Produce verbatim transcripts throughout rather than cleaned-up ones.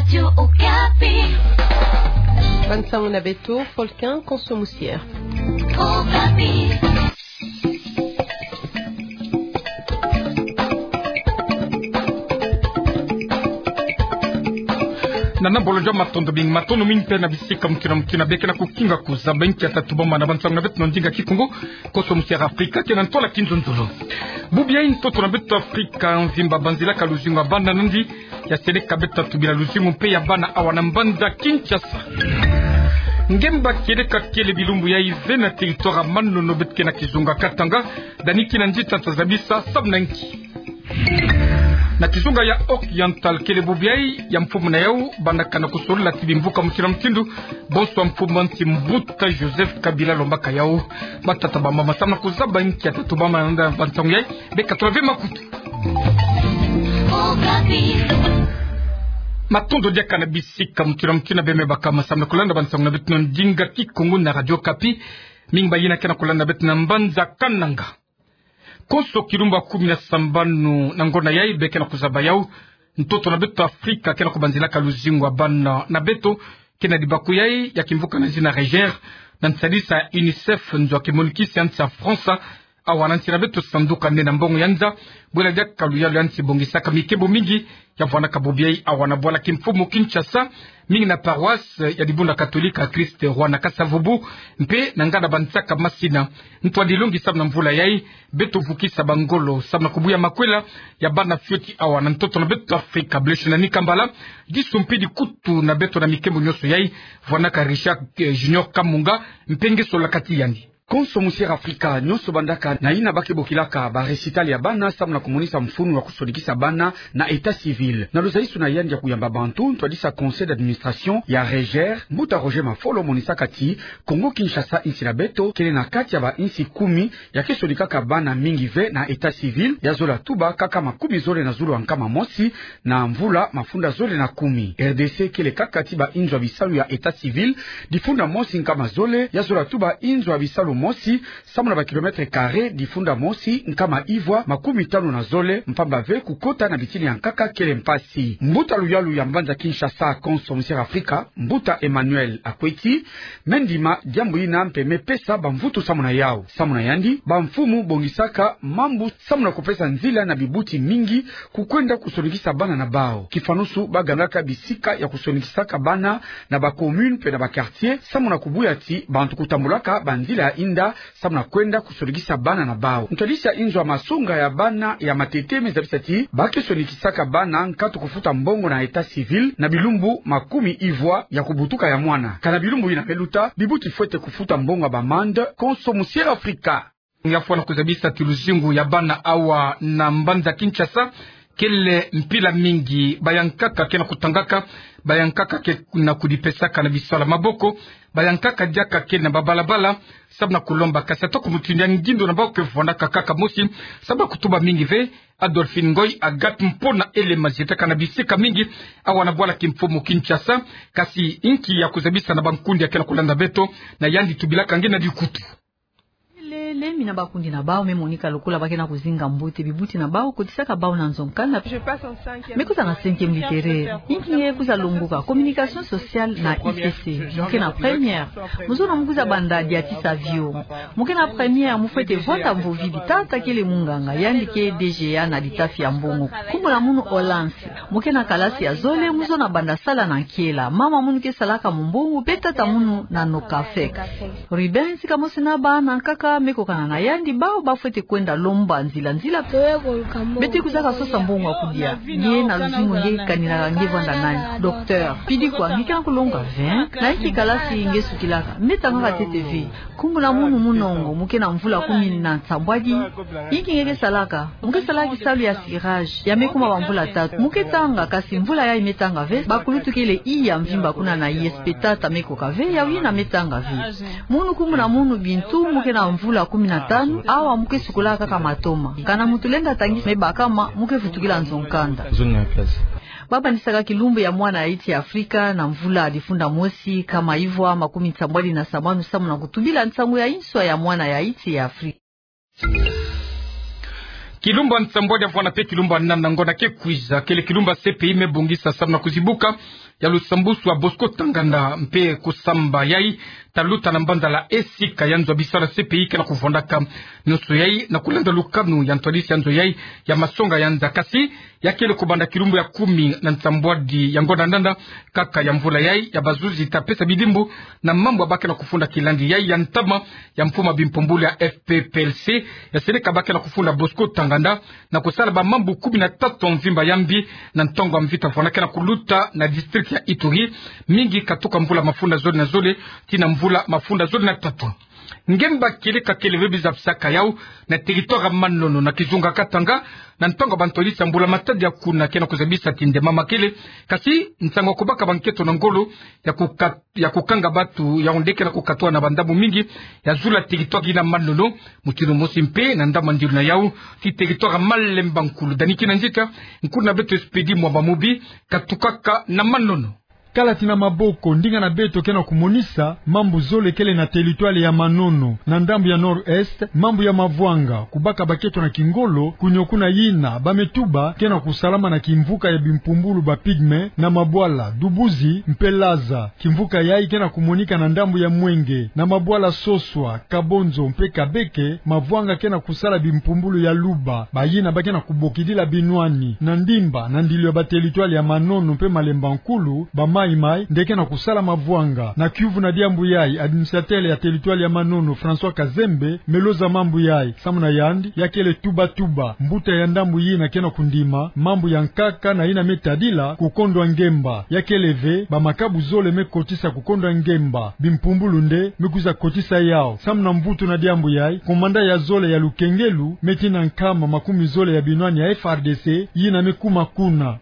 Radio Okapi. Bansango na beto, Folkin Konso Musier. Okapi. Nana bolo jwa matondo mingi, matondo mingi mpe na bisika mukina mukina beke na kukinga kuzaba inki ya tatu bamana bansango na beto na ndinga Kikongo. Konso Musier Afrika, kena ntwala kinzonzolo. Bubu yai ntoto na beto Afrika mvimba banzilaka luzingu ya bana nandi, ya seleka beto tubila luzingu mpe ya bana awa na mbanza Kinshasa. Ngemba kieleka kele bilumbu yai ve na territoire ya Manono beto ke na kizunga Katanga, dani kina nzita tazabisa samu na nki. Na kizunga ya Oriental kele bubu yai ya mfumu na yau, bana kana kusolila ti bimvuka mukina mutindu, bonso mfumu nsi mbuta Joseph Kabila lombaka yau. Batata bamama samu na kuzaba inki ya tatu bamana na bansango yai, beka tula ve makutu. Matondo diaka na bisika mukina mukina beme bakama samu na kulanda bansango na beto na ndinga Kikongo na Radio Okapi. Mingi bayina ke na kulanda beto na mbanza Kananga. Konso kilumbu ya kumi na sambanu na ngonda yai beke na kuzaba yau. Ntoto na beto Afrika ke na kubanzilaka luzingu ya bana na beto, ke na libaku yai ya kimvuka na zina Reger, na nsadisa UNICEF, nzo ya kimonikisi ya nsi ya France, awa na nsi na beto sanduka nene ya mbongo ya nza, bwela diaka luyalu ya nsi bongisaka mikembo mingi, ya vwanaka bubu yai awa na bwala kimfumu Kinshasa, mingi na paroisse ya Dibundu Katolika Christ Roi na Kasa-Vubu, mpe na nganda bansaka masina. Ntwadi longi samu na mvula yai, beto vukisa bangolo samu na kubuya makwela ya bana fioti awa na ntoto na beto Afrika. Blessing Nikambala, disu mpe dikutu na beto na mikembo nyonso yai, vwanaka Richard, eh, Junior Kamunga, mpe nge solaka ti yandi. Konso Musier Afrika, nyonso bandaka na yina ba ke bokilaka ba récital ya bana, samu na kumonisa mfunu wa kusonikisa bana na état civil. Na luzalisu na yandi ya kuyamba bantu, ntwadisa conseil d'administration ya Reger, mbuta Roger Mafolo monisaka ti Kongo Kinshasa, insi na beto, kele na kati ya ba insi kumi ya ke sonikaka bana mingi ve na état civil, ya zola tuba kaka makumi zole na zulu ya nkama mosi, na mvula mafunda zole na kumi. R D C kele kaka ti ba inzo ya bisalu ya état civil, difunda mosi nkama zole, ya zola tuba inzo ya bisalu mosi, samu na ba kilomètre carré difunda mosi nkama ivwa makumi tanu na zole, mpamba ve kukota na bitini ya nkaka kele mpasi. Mbuta luyalu ya mbanza Kinshasa, Konso Musier Afrika, mbuta Emmanuel Akweti, me ndima diambu yina mpe me pesa bamvutu samu na yau. Samu na yandi, bamfumu bongisaka mambu samu na kupesa nzila na bibuti mingi kukwenda kusonikisa bana na bau. Kifanusu, ba gangaka bisika ya kusonikisaka bana na ba commune mpe na ba quartier, samu na kubuya ti bantu kutambulaka banzila ya inda samu na kwenda kusonikisa bana na bau. Ntwadisi ya inzo ya masonga ya bana ya Matete me zabisa ti ba ke sonikisaka bana nkatu kufuta mbongo na état civil na bilumbu makumi ivwa ya kubutuka ya mwana. Kana bilumbu yina me luta, bibuti fwete kufuta mbongo ya b'amende. Konso Musier Afrika. Ya fwana kuzabisa ti luzingu ya bana awa na mbanza Kinshasa kele mpila mingi, bayankaka ke na kutangaka, bayankaka ke na kudipesaka na bisalu ya maboko, bayankaka diaka ke na babalabala, samu na kulomba, kasi atako mutindu ya ngindo na bau ke vwanaka kaka mosi, samu na kutuba mingi ve. Adolphine Ngoy, Agathe Mpona, Ele Mazietaka na bisika mingi awa na bwala kimfumu Kinshasa, kasi inki ya kuzabisa na bankundi ya ke na kulanda beto, na yandi tubilaka nge na dikutu. Lele, mina bakundi na bau me monika lokola ba ke na kuzinga mbote bibuti na bau, kotisaka bau na nzo nkanda. Me kwiza na cinquième littéraire. Inki nge kwiza longoka? Communication sociale na I C C. Mu ke na première. Mu zona mu kwiza banda diatisa avion. Mu ke na première, mu fwete vwanda mvovi. Tata kele munganga, yandi ke D G A na litafi ya mbongo. Nkumbu na munu Olance. Mu ke na kalasi ya zole, mu zona banda sala na nkiela. Mama munu ke salaka mumbongo, mpe tata munu na Nocafex. Ruben, sika mosi na bana nkaka me kokana na yandi, bau ba fwete kwenda lomba nzila nzila. Beto kwizaka sosa mbongo ya kudia. Nge na luzingu nge kaninaka nge vwanda nani? Docteur. Pidi kwa, nge ke na kulonga ve? Na inki kalasi nge sukilaka? Me tangaka ntete ve. Nkumbu na munu Munongo, mu ke na mvula kumi na nsambwadi. Inki nge ke salaka? Mu ke salaka kisalu ya cirage. Ya me kuma bamvula tatu. Mu ke tanga, kasi mvula yayi me tanga ve. Bakulutu kele iya mvimba kuna na I S P, tata me koka ve, yawu yina me tanga ve. Munu nkumbu na munu Bintu, mu ke na mvula kumi na tanu, awa mu ke sukolaka kaka matoma. Kana muntu lenda tangisa me bakama, mu ke vutukila nzo nkanda. Ba bandisaka kilumbu ya mwana ya insi ya Afrika na mvula difunda mosi, nkama ivwa makumi nsambwadi na sambanu, samu na kutubila nsangu ya inswa ya mwana ya insi ya Afrika. Kilumbu ya nsambwadi ya vwanda mpe kilumbu ya nana ngonda ke kwiza, kele kilumbu ya C P I me bongisa samu na kuzibuka ya lusambusu ya Bosco Ntaganda mpe kusamba yai ta luta na mbanza la Esika ya nzo ya bisalu ya C P I ke na kuvwandaka. Nyonso yai na kulanda lukanu ya ntwadisi ya nzo yai ya masonga ya nza. Kasi ya kele kubanda kilumbu ya kumi na nsambwadi ya ngonda nana kaka ya mvula yai ya bazuzi ta pesa bidimbu na mambu ya ba ke na kufunda kilandi yai ya ntama ya mfumu ya bimpumbulu ya F P P L C, ya seleka ba ke na kufunda Bosco Ntaganda na kusala bamambu kumi na tatu ya mvimba ya mbi na ntangu ya mvita vwanda ke na kuluta na district ya Ituri, mingi katuka mvula mafunda zole na zole tii na mvula mafunda zole na tatu. Ngemba kele ka kele ve bi zabisaka yau na territoire ya Manono na kizunga Katanga, na ntangu ya bantwadisi ya mbula matadi ya kuna ke na kuzabisa ti nde mama kele, kasi nsangu ya kubaka bankento na ngolo ya kukat-, ya kukanga batu yau nde ke na kukatwa na bandambu mingi ya zulu ya territoire yina Manono. Mutindu mosi mpe na ndambu ya ndilu na yau ti territoire ya Malemba Nkulu. Dani Kinanzita, nkulu na beto Expédit Mwamba Mubi, katukaka na Manono. Kala ti na maboko, ndinga na beto ke na kumonisa mambu zole kele na territoire ya Manono. Na ndambu ya Nord-Est, mambu ya mavwanga, kubaka bankento na kingolo, kunio kuna yina ba me tuba ke na kusalama na kimvuka ya bimpumbulu ba Pygmées, na mabwala Dubuzi mpe Laza. Kimvuka yai ke na kumonika na ndambu ya Mwenge, na mabwala Soswa, Kabonzo mpe Kabeke, mavwanga ke na kusala bimpumbulu ya Luba, bayina ba ke na kubokidila binwani. Na Ndimba, na ndilu ya ba territoire ya Manono mpe Malemba Nkulu, ba Maï-Maï nde ke na kusala mavwanga. Na Kiuvu na diambu yai, administrateur ya territoire ya Manono, François Kazembe, me loza mambu yai. Samu na yandi, ya kele tuba-tuba mbuta ya ndambu yina ke na kundima mambu ya nkaka na yina me tadila kukondwa ngemba. Ya kele ve bamakabu zole me kotisa kukondwa ngemba, bimpumbulu nde me kwiza kotisa yau. Samu na mvutu na diambu yai, commandant ya zole ya lukengelu me tina nkama makumi zole ya binwani ya F R D C yina me kuma kuna.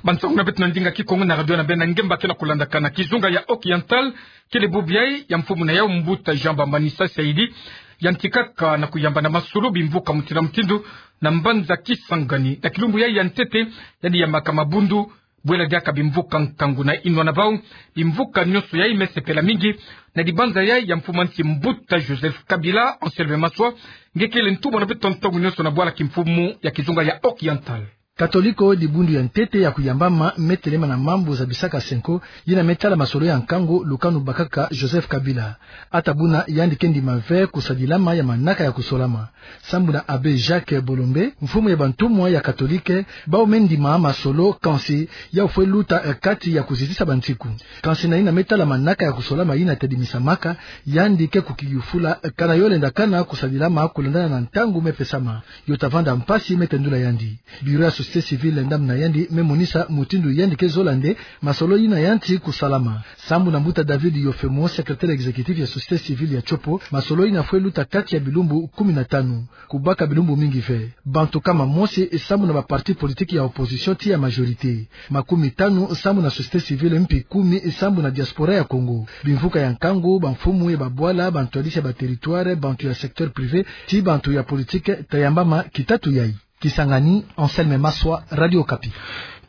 Bansangu na beto na ndinga Kikongo na radio na beno na ngemba ke na kulandaka na kizunga ya Occidental, kele bubu yai ya mfumu na yau mbuta Jean Bambanisa Saïdi yantikaka na kuyamba na masolo bimvuka mutindu na mutindu na mbanza Kisangani. Na kilumbu yai ya ntete, yandi yambaka mabundu, bwela diaka bimvuka nkangu na inwa na bau. Bimvuka nyonso yai me sepela mingi na dibanza yai ya mfumu a nsi mbuta Joseph Kabila. Anselme Maswa, nge kele ntumwa na beto ntangu nyonso na bwala kimfumu ya kizunga ya Occidental. Katoliko, dibundu ya ntete ya kuyambama, me telema na mambu zabisaka cenco, yina me tala masolo ya nkangu lukanu bakaka Joseph Kabila. Ata buna yandi ke ndima ve kusadilama ya manaka ya kusolama. Sambu na Abbé Jacques Bolombe, mfumu ya bantumwa ya Katolike, bau me ndima masolo, kansi yau fwe luta, eh, kati ya kuzitisa bansiku. Kansi na yina me tala manaka ya kusolama yina tedimisamaka, yandi ke kukiyufula, eh, kana yo lenda kana kusadilama kulandana na ntangu me pesama. Yo ta vanda mpasi me tendula yandi. Bureau ya société civile ndambu na yandi me monisa mutindu yandi ke zola nde masolo yina yanti kusalama. Sambu na mbuta David Yofemo, secrétaire exécutif ya société civile ya Tshopo, masolo yina fwe luta kati ya bilumbu kumi na tanu. Kubaka bilumbu mingi ve. Bantu kama mosi sambu na ba parti politique ya opposition ti ya majorité. Makumi tanu sambu na société civile, mpi kumi sambu na diaspora ya Congo. Bimvuka ya nkangu, bamfumu ya babwala, bantwadisi ya ba territoire, bantu ya secteur privé, ti bantu ya politique, ta yambama kitatu yai. Kisangani, Anselme Maswa, Radio Okapi.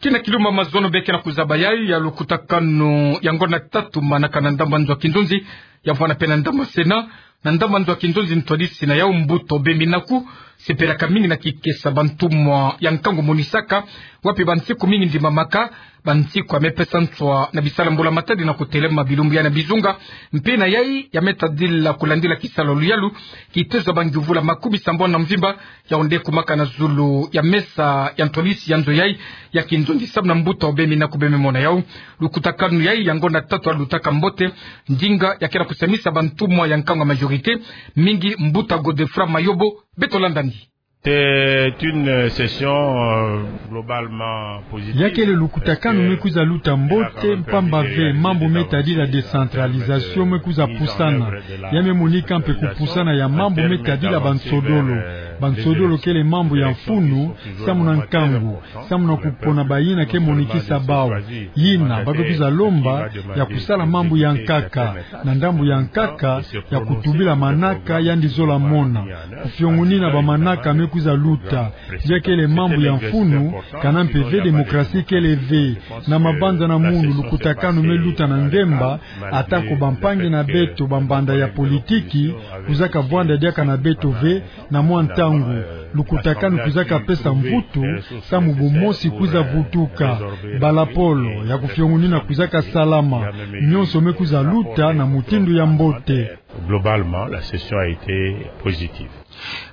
Kina kilumbu ya mazono be ke na kuzaba yai ya lukutakanu ya ngonda tatu manaka na ndambu ya nzo ya kinzonzi, ya vwanda mpe na ndambu ya Sénat. Na ndambu ya nzo ya kinzonzi, ntwadisi na yau mbuta Aubin Minaku sepelaka mingi na kikesa bantumwa ya nkangu monisaka, wapi bansiku mingi ndimamaka, bansiku ya me pesa nswa na bisalu ya mbula matadi na kutelema bilumbu yai na bizunga, mpe na yai ya me tadila kulandila kisalu ya luyalu, kitezo ya bangiuvula makumi sambanu na mvimba, yau nde kumaka na zulu ya mesa ya ntwadisi ya nzo yai ya kinzonzi. Sambu na mbuta Aubin Minaku be me mona yau, lukutakanu yai ya ngonda tatu yalutaka mbote, ndinga ya ke na kusamisa bantumwa ya nkangu ya majorité, mingi mbuta Godefroid Mayobo. Beto landani. C'est une session, euh, globalement positive. Ya kele lukutakanu me kwiza luta mbote, mpamba ve mambu me tadila décentralisation me kwiza pusana. Ya me monika mpe kupusana ya mambu me tadila bansodolo. Bansodolo kele mambu ya mfunu, sambu na nkangu, sambu na kupona bayina ke monikisa bau. Yina ba ke kwiza lomba ya kusala mambu ya nkaka, na ndambu ya nkaka, ya kutubila manaka yandi zola mona. Kufiongonina bamanaka me kwiza luta. Ya kele mambu ya mfunu, kana mpe ve démocratie kele ve. Na mabanza na munu lukutakanu me luta na ngemba, atako bampangi na beto bambanda ya politiki kwizaka vwanda diaka na beto ve, na mwa nta- ntangu, lukutakanu kwizaka pesa mvutu, samu bumosi kwiza vutuka, balapolo ya kufiongunina kwizaka salama, nionso me kwiza luta na mutindu ya mbote. Globalement, la session a été positive.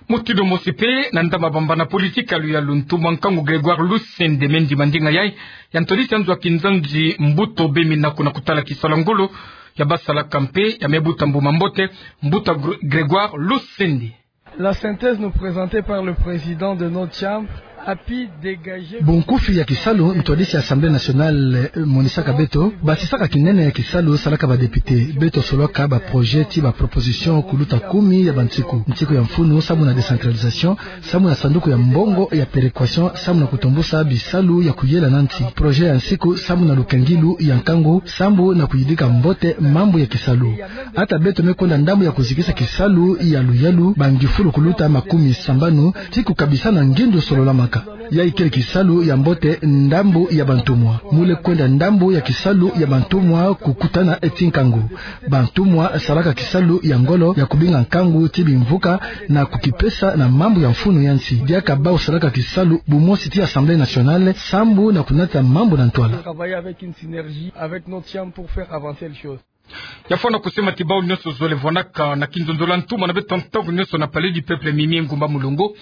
Mutindu mosi mpe, na ndambu bambana politiki ya luyalu, ntumwa nkangu Grégoire Lusende me ndima ndinga yayi ya ntwadisi ya nzo ya kinzanzi Mbuta Obemi Naku na kutala kisalu ya ngolo ya basalaka mpe ya me buta mbuma mbote, Mbuta Gr-, Grégoire Lusende. La synthèse nous présentée par le président de notre chambre a pu dégager. Bunkufi ya kisalu ntwadisi ya Assemblée nationale, eh, monisaka beto, basisaka kinene ya kisalu salaka ba député. Beto solwaka ba projet ti ba proposition kuluta kumi ya bansiku. Nsiku ya mfunu, samu na décentralisation, samu na sanduku ya mbongo ya péréquation, samu na kutombusa bisalu ya kuyela na nsi. Projet ya nsiku, samu na lukengilu ya nkangu, samu na kuyidika mbote mambu ya kisalu. Ata beto me kwenda ndambu ya kuzikisa kisalu ya luyalu, ba ngufulu kuluta makumi sambanu, ti kukabisa na ngindu sololamaka. Yayi kele kisalu ya mbote ndambu ya bantumwa. Mule kwenda ndambu ya kisalu ya bantumwa kukutana eti nkangu. Bantumwa salaka kisalu ya ngolo ya kubinga nkangu ti bimvuka na kukipesa na mambu ya mfunu ya nsi. Diaka bawu salaka kisalu bumosi ti Assemblée nationale, samu na kunata mambu na ntwala. Travailler avec une synergie avec notre chambre pour faire avancer les choses. Ya fwana kusema ti bawu nionso zole vwanaka na kinzonzolo ya ntumwa na beto ntangu nionso na Palais du Peuple Mimi Ngumba Mulongo.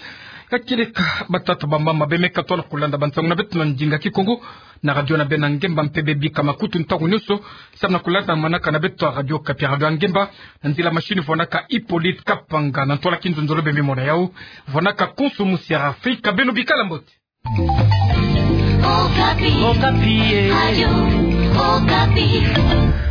Ya kieleka, batata, bamama, bemeka tona kulanda bansangu na beto na ndinga Kikongo na radio na beno ya ngemba mpe bebika makutu ntangu nionso, samu na kulanda manaka na beto ya Radio Okapi, radio ya ngemba. Na nzila machine vwanaka Hippolyte Kapanga, na ntwala kinzonzolo bemimona yawu vwanaka Konso Musiara. Afrika, beno bikala mbote. Okapi. Okapi, eh. Radio Okapi.